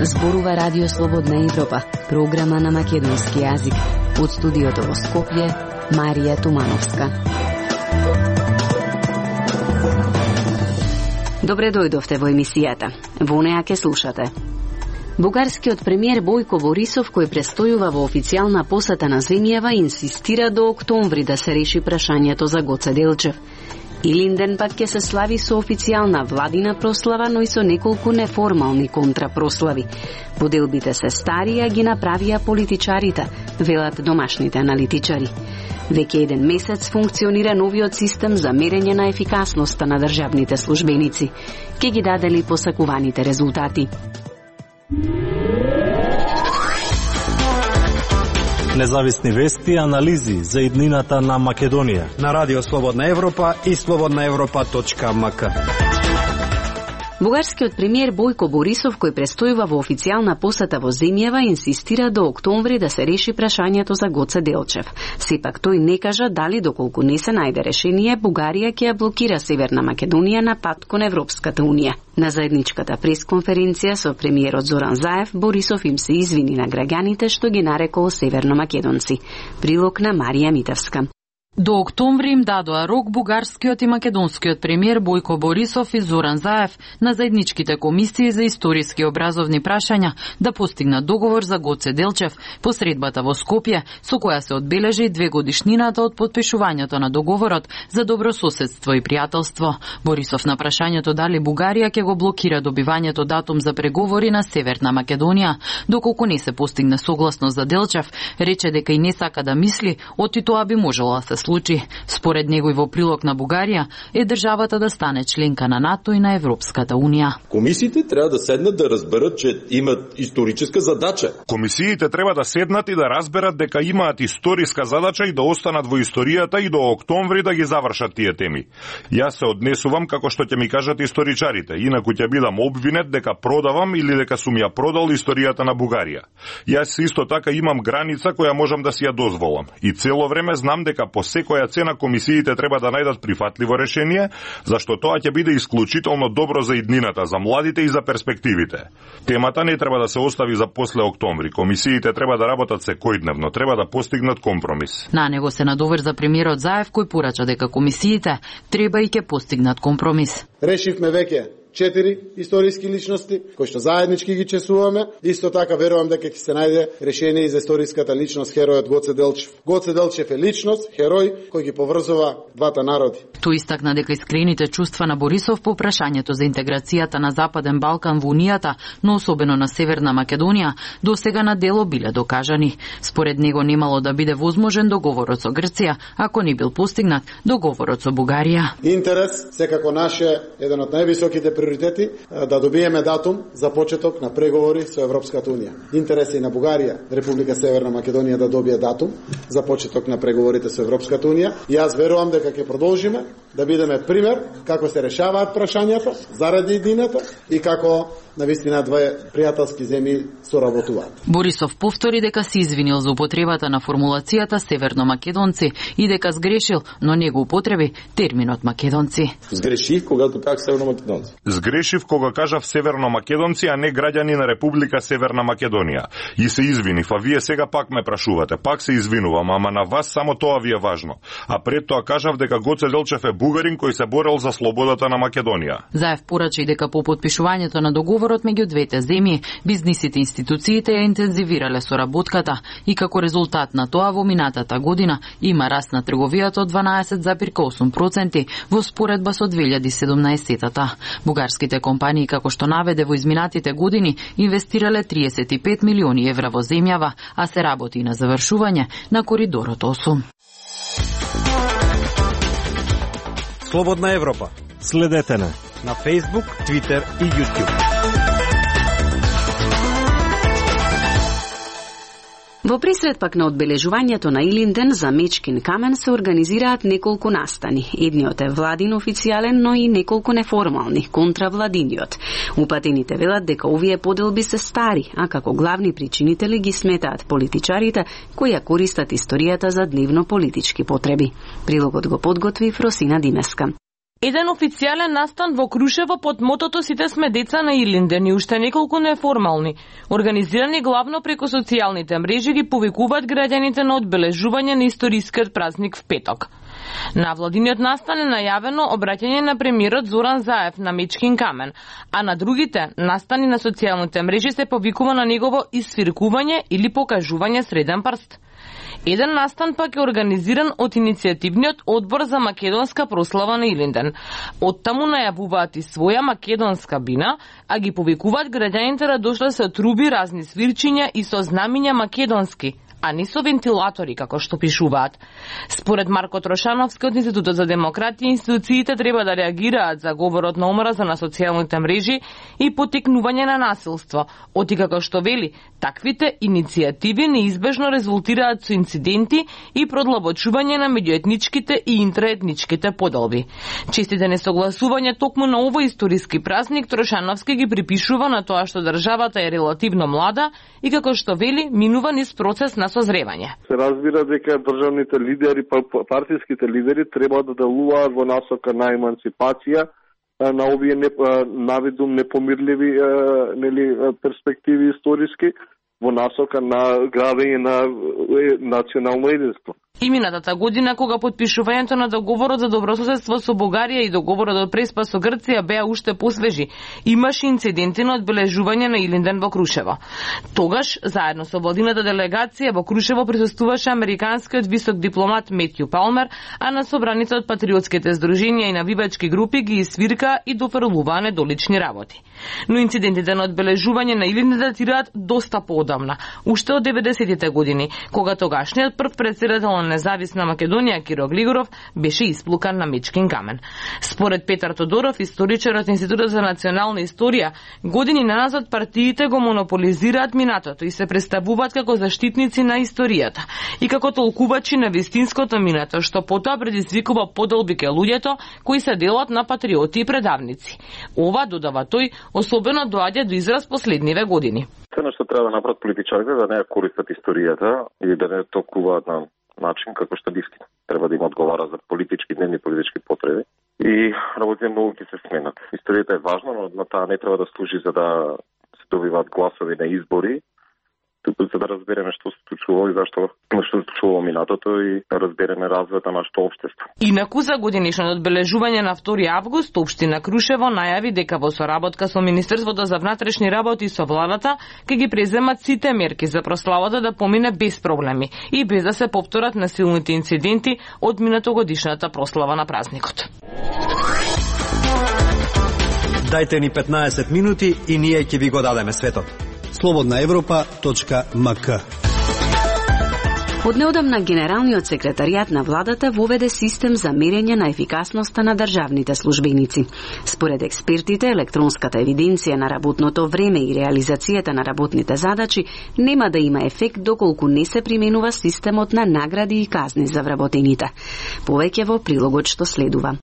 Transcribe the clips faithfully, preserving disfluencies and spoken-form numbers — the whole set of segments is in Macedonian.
Зборува Радио Слободна Европа, програма на македонски јазик. Од студиото во Скопје, Марија Тумановска. Добре дојдовте во емисијата. Во неа ке слушате. Бугарскиот премиер Бојко Борисов, кој престојува во официјална посета на земјава, инсистира до октомври да се реши прашањето за Гоце Делчев. Илинден пак ќе се слави со официјална владина прослава, но и со неколку неформални контрапрослави. Поделбите се стари, а ги направија политичарите, велат домашните аналитичари. Веќе еден месец функционира новиот систем за мерење на ефикасноста на државните службеници. Ке ги дадели посакуваните резултати. Независни вести и анализи за иднината на Македонија на Радио Слободна Европа и слободна европа точка ем ка. Бугарскиот премиер Бојко Борисов, кој престојува во официјална посета во земјава, инсистира до октомври да се реши прашањето за Гоце Делчев. Сепак тој не кажа дали доколку не се најде решение, Бугарија ќе ја блокира Северна Македонија на пат кон Европската унија. На заедничката пресконференција со премиерот Зоран Заев, Борисов им се извини на граѓаните што ги нарекол северномакедонци. Прилог на Марија Митевска. До октомври им дадоа рок бугарскиот и македонскиот премиер Бојко Борисов и Зоран Заев на заедничките комисии за историски и образовни прашања да постигнат договор за Гоце Делчев по средбата во Скопје, со која се одбележи две годишнината од подпишувањето на договорот за добрососедство и пријателство. Борисов на прашањето дали Бугарија ќе го блокира добивањето датум за преговори на Северна Македонија, доколку не се постигне согласност за Делчев, рече дека и не сака да мисли, оти тоа би можело да се случи. Според него и во прилог на Бугарија е државата да стане членка на НАТО и на Европската унија. Комисиите треба да седнат да разберат че имат историческа задача. Комисиите треба да седнат и да разберат дека имаат историска задача и да останат во историјата и до октомври да ги завршат тие теми. Јас се однесувам како што ќе ми кажат историчарите, инаку ќе бидам обвинет дека продавам или дека сум ја продал историјата на Бугарија. Јас исто така имам граница која можам да си ја дозволам и цело време знам дека по секоја цена комисиите треба да најдат прифатливо решение, зашто тоа ќе биде исклучително добро за иднината, за младите и за перспективите. Темата не треба да се остави за после октомври. Комисиите треба да работат секојдневно, треба да постигнат компромис. На него се надоврза премиерот Заев, кој порача дека комисиите треба и ќе постигнат компромис. Решивме веќе четири историски личности, кои што заеднички ги чесуваме. Иско така верувам дека ќе се најде решение и за историската личност херојот Гоце Делчев. Гоце Делчев е личност, херој кој ги поврзува двата народи. Тој истакна дека искрените чувства на Борисов по прашањето за интеграцијата на Западен Балкан во Унијата, но особено на Северна Македонија, до сега на дело биле докажани. Според него немало да биде возможен договорот со Грција, ако не бил постигнат договорот со Бугарија. Интерес секако наше еден од највисоките приоритети да добиеме датум за почеток на преговори со Европската унија. Интерес е на Бугарија, Република Северна Македонија да добие датум за почеток на преговорите со Европската унија. И јас верувам дека ќе продолжиме да бидеме пример како се решаваат прашањата заради иднината и како навистина две пријателски земји соработуваат. Борисов повтори дека се извинил за употребата на формулацијата северномакедонци и дека сгрешил, но не го употреби терминот македонци. Сгрешив когато кажав северномакедонци. Сгрешив кога кажав северномакедонци, а не граѓани на Република Северна Македонија. И се извинив, а вие сега пак ме прашувате. Пак се извинувам, ама на вас само тоа ви е важно. А пред тоа кажав дека Гоце Делчев е бугарин кој се борел за слободата на Македонија. Заев порача и дека по подпишувањето на договорот меѓу двете земји, бизнисите и институциите ја интензивирале соработката и како резултат на тоа во минатата година има раст на трговијата од дванаесет зарез осум проценти во споредба со две илјади и седумнаесетата. Бугарските компании, како што наведе во изминатите години, инвестирале триесет и пет милиони евра во земјава, а се работи и на завршување на коридорот осум. Слободна Европа. Следете на на Facebook, Twitter и YouTube. Во пресред пак на одбележувањето на Илинден за Мечкин камен се организираат неколку настани. Едниот е владин официјален, но и неколку неформални, контравладиниот. Упатените велат дека овие поделби се стари, а како главни причинители ги сметаат политичарите кои ја користат историјата за дневно политички потреби. Прилогот го подготви Фросина Димеска. Еден официјален настан во Крушево под мотото "Сите сме деца на Илинден" и уште неколку неформални, организирани главно преку социјалните мрежи, ги повикуваат граѓаните на одбележување на историскиот празник в петок. На владиниот настан е најавено обраќање на премиерот Зоран Заев на Мечкин камен, а на другите настани на социјалните мрежи се повикува на негово исфиркување или покажување среден прст. Еден настан пак е организиран од иницијативниот одбор за македонска прослава на Илинден. Оттаму најавуваат и своја македонска бина, а ги повикуваат граѓаните да дошле со труби, разни свирчиња и со знамиња македонски, а не со вентилатори, како што пишуваат. Според Марко Трошановски од Институтот за демократија, институциите треба да реагираат за говорот на омраза на социјалните мрежи и потикнување на насилство, оти како што вели, таквите иницијативи неизбежно резултираат со инциденти и продлабочување на меѓуетничките и интраетничките поделби. Честите несогласување токму на овој историски празник Трошановски ги припишува на тоа што државата е релативно млада и како што вели, минува низ процес на созревање. Се разбира дека државните лидери, партиските лидери треба да делуваат во насока на емансипација на овие не, навидум непомирливи нели перспективи историски, во насока на градење на национално единство. И минатата година, кога подпишувањето на договорот за добрососедство со Бугарија и договорот од Преспа со Грција беа уште посвежи, имаше инциденти на одбележување на Илинден во Крушево. Тогаш, заедно со владината делегација во Крушево присуствуваше американскиот висок дипломат Метју Палмер, а на собраните од патриотските здруженија и навивачки групи ги свирка и дофрлуваа недолични работи. Но инцидентите на одбележување на Илинден датираат доста поодамна, уште од деветдесетите години, кога тогашниот прв претседател на Независна Македонија Киро Глигоров беше исплукан на Мечкин камен. Според Петар Тодоров, историчар од Институтот за национална историја, години наназад партиите го монополизираат минатото и се представуваат како заштитници на историјата и како толкувачи на вистинското минато, што потоа предизвикува поделби кај луѓето кои се делат на патриоти и предавници. Ова, додава тој, особено доаѓа до израз последниве години. Се нешто треба да направат политичарите да не ја користат историјата и да не толкуваат на начин како што дивки. Треба да им одговара за политички, дневни политички потреби и работите многу ќе се сменат. Историјата е важна, но на таа не треба да служи за да се добиваат гласови на избори, туку за да разбереме што се случува и зашто што се случува во минатото и да разбереме развојот на нашето општество. Инаку за годинишното одбележување на втори август, општина Крушево најави дека во соработка со Министерството за внатрешни работи и со владата ќе ги преземат сите мерки за прославата да помине без проблеми и без да се повторат насилните инциденти од минатогодишната прослава на празникот. Дајте ни петнаесет минути и ние ќе ви го дадеме светот. слободна европа точка ем ка. Од неодамна Генералниот секретаријат на владата воведе систем за мерење на ефикасноста на државните службеници. Според експертите, електронската евиденција на работното време и реализацијата на работните задачи нема да има ефект доколку не се применува системот на награди и казни за вработените. Повеќе во прилогот што следува.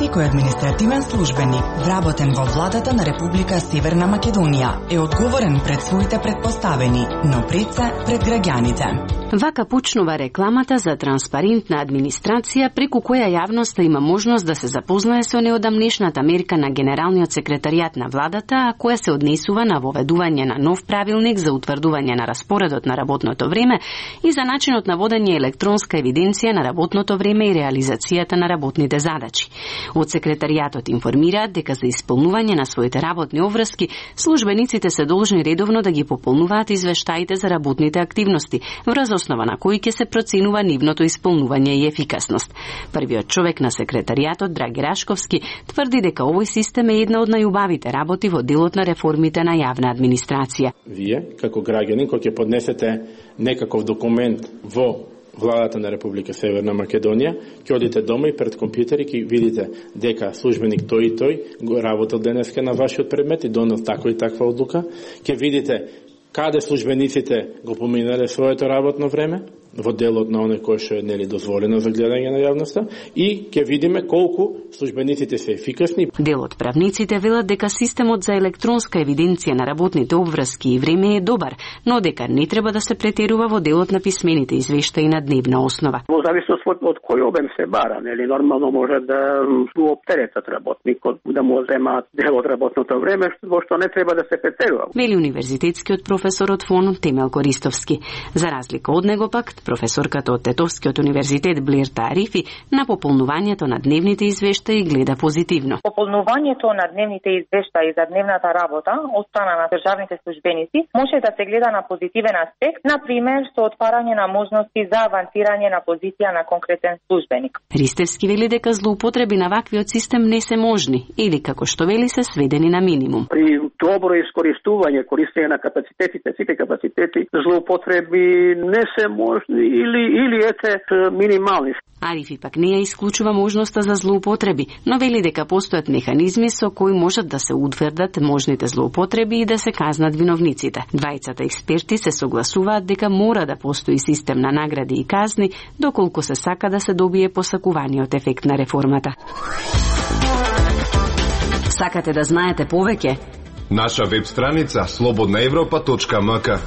Секој административен службеник, вработен во владата на Република Северна Македонија, е одговорен пред своите предпоставени, но пред се пред граѓаните. Вака почнува рекламата за транспарентна администрација преку која јавноста има можност да се запознае со неодамнешната мерка на Генералниот секретаријат на владата, а која се однесува на воведување на нов правилник за утврдување на распоредот на работното време и за начинот на водење електронска евиденција на работното време и реализацијата на работните задачи. Од секретаријатот информираат дека за исполнување на своите работни обврски, службениците се должни редовно да ги пополнуваат извештаите за работните активности, врз основа на кои ќе се проценува нивното исполнување и ефикасност. Првиот човек на секретаријатот, Драги Рашковски, тврди дека овој систем е една од најубавите работи во делот на реформите на јавна администрација. Вие, како граѓани, кој ќе поднесете некаков документ во владата на Република Северна Македонија, ќе одите дома и пред компјутер и ќе видите дека службеник тој и тој го работел денеска на вашиот предмет и донел таква и таква одлука. Ќе видите каде службениците го поминале своето работно време, во делот на оне кој што е нели дозволено за гледање на јавноста, и ќе видиме колку службениците се ефикасни. Дел од правниците велат дека системот за електронска евиденција на работните обврски и време е добар, но дека не треба да се претерува во делот на писмените извештаи на дневна основа. Во зависност од, од кој обем се бара, нели нормално може да го оптеретат работникот, да му земаат дел од работното време, во што не треба да се претерува. Вели универзитетскиот професор од ФОН Темелко Ристовски. За разлика од него пак, професорката од Тетовскиот универзитет Блерта Арифи на пополнувањето на дневните извештаи гледа позитивно. Пополнувањето на дневните извештаи за дневната работа од страна на државните службеници може да се гледа на позитивен аспект, на пример со отварање на можности за авансирање на позиција на конкретен службеник. Ристевски вели дека злоупотреби на ваквиот систем не се можни или како што вели се сведени на минимум. При добро искористување, користење на капацитетите, сите капацитети, злоупотреби не се можни или или ете минимални. Арифи пак не ја исклучува можноста за злоупотреби, но вели дека постојат механизми со кои можат да се утврдат можните злоупотреби и да се казнат виновниците. Двајцата експерти се согласуваат дека мора да постои систем на награди и казни, доколку се сака да се добие посакуваниот ефект на реформата. Сакате да знаете повеќе? Наша веб страница слободна европа точка ем ка.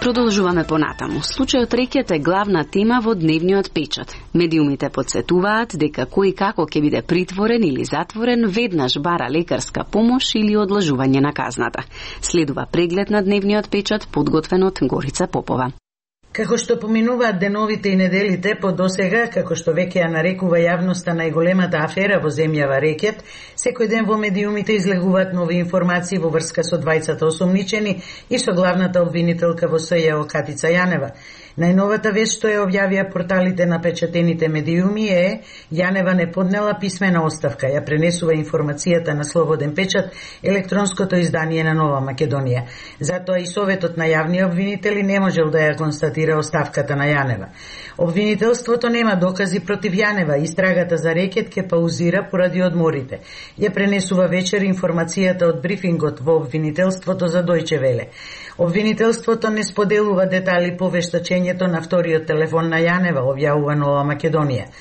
Продолжуваме понатаму. Случајот Рекет е главна тема во дневниот печат. Медиумите потсетуваат дека кој како ќе биде притворен или затворен веднаш бара лекарска помош или одложување на казната. Следува преглед на дневниот печат подготвен од Горица Попова. Како што поминуваат деновите и неделите, по досега, како што веќе ја нарекува јавноста најголемата афера во земјава Рекет, секој ден во медиумите излегуваат нови информации во врска со двајцата осомничени и со главната обвинителка во СЈО Катица Јанева. Најновата вест што ја објавија порталите на печатените медиуми е Јанева не поднела писмена оставка, ја пренесува информацијата на Слободен печат, електронското издание на Нова Македонија. Затоа и Советот на јавни обвинители не можел да ја констатира оставката на Јанева. Обвинителството нема докази против Јанева, истрагата за Рекет ке паузира поради одморите. Ја пренесува вечер информацијата од брифингот во обвинителството за Дојче Веле. Обвинителството не споделува детали по вештачењето на вториот телефон на Јанева, објавува Нова Македонија.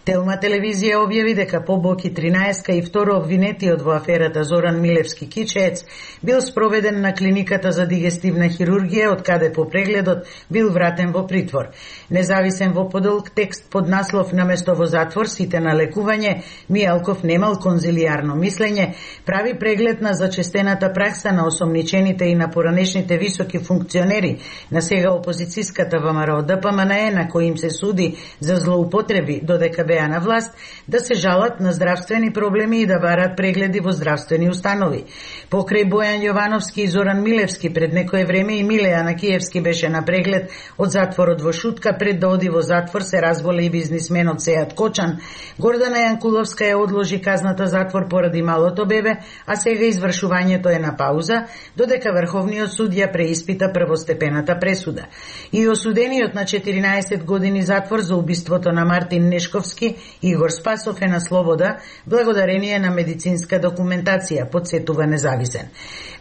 Телма телевизија објави дека по Боки тринаесет и второ обвинетиот во аферата Зоран Милевски Кичеец бил спроведен на клиниката за дигестивна хирургија, од каде по прегледот бил вратен во притвор. Независен во подолг текст под наслов наместо во затвор сите на лекување, Мијалков немал конзилијарно мислење, прави преглед на зачестената пракса на осомничените и на поранешните високи функционери на сега опозицијската ВМРО ДПМНЕ, на кои им се суди за злоупотреби додека беа на власт, да се жалат на здравствени проблеми и да барат прегледи во здравствени установи. Покрај Бојан Јовановски и Зоран Милевски пред некое време и Милеја на Киевски беше на преглед од затворот во Шутка, пред да оди во затвор се разболе и бизнисменот Сејат Кочан. Гордана Јанкуловска ја одложи казната затвор поради малото бебе, а сега извршувањето е на пауза, додека Врховниот суд ја преиспита првостепената пресуда. И осудениот на четиринаесет години затвор за убиството на Мартин Нешковски Игор Спасов е на слобода благодарение на медицинска документација, подсетува Независен.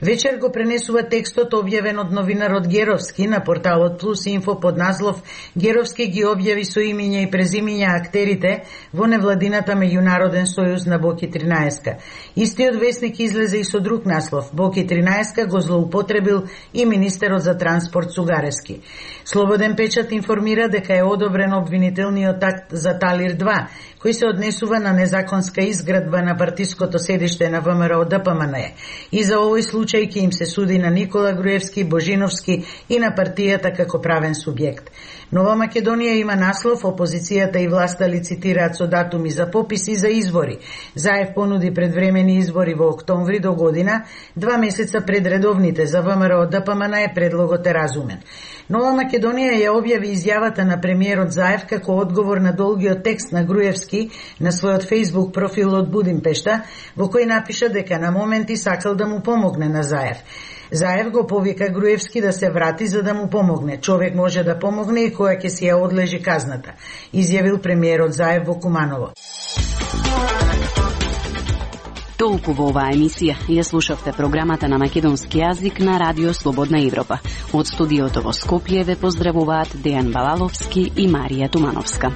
Вечер го пренесува текстот објавен од новинарот Геровски на порталот Плюс Инфо под наслов Геровски ги објави со имиња и презимиња актерите во невладината меѓународен сојуз на Боки тринаесет. Истиот весник излезе и со друг наслов. Боки тринаесет го злоупотребил и министерот за транспорт Сугаревски. Слободен печат информира дека е одобрен обвинителниот акт за Талир два, кој се однесува на незаконска изградба на партиското седиште на ВМРО ДПМНЕ. И за овој случај ќе им се суди на Никола Груевски, Божиновски и на партијата како правен субјект. Нова Македонија има наслов опозицијата и власта лицитираат со датуми за пописи за избори. Заев понуди предвремени избори во октомври до година, два месеца пред редовните. За ВМРО ДПМНЕ предлогот е разумен. Нова Македонија ја објави изјавата на премиерот Заев како одговор на долгиот текст на Груевски на својот Facebook профил од Будимпешта, во кој напиша дека на моменти сакал да му помогне на Заев. Заев го повика Груевски да се врати за да му помогне. Човек може да помогне и која ќе си ја одлежи казната, изјавил премиерот Заев во Куманово. Толку во оваа емисија. Ја слушавте програмата на македонски јазик на Радио Слободна Европа. Од студиото во Скопје ве поздравуваат Дејан Балаловски и Марија Тумановска.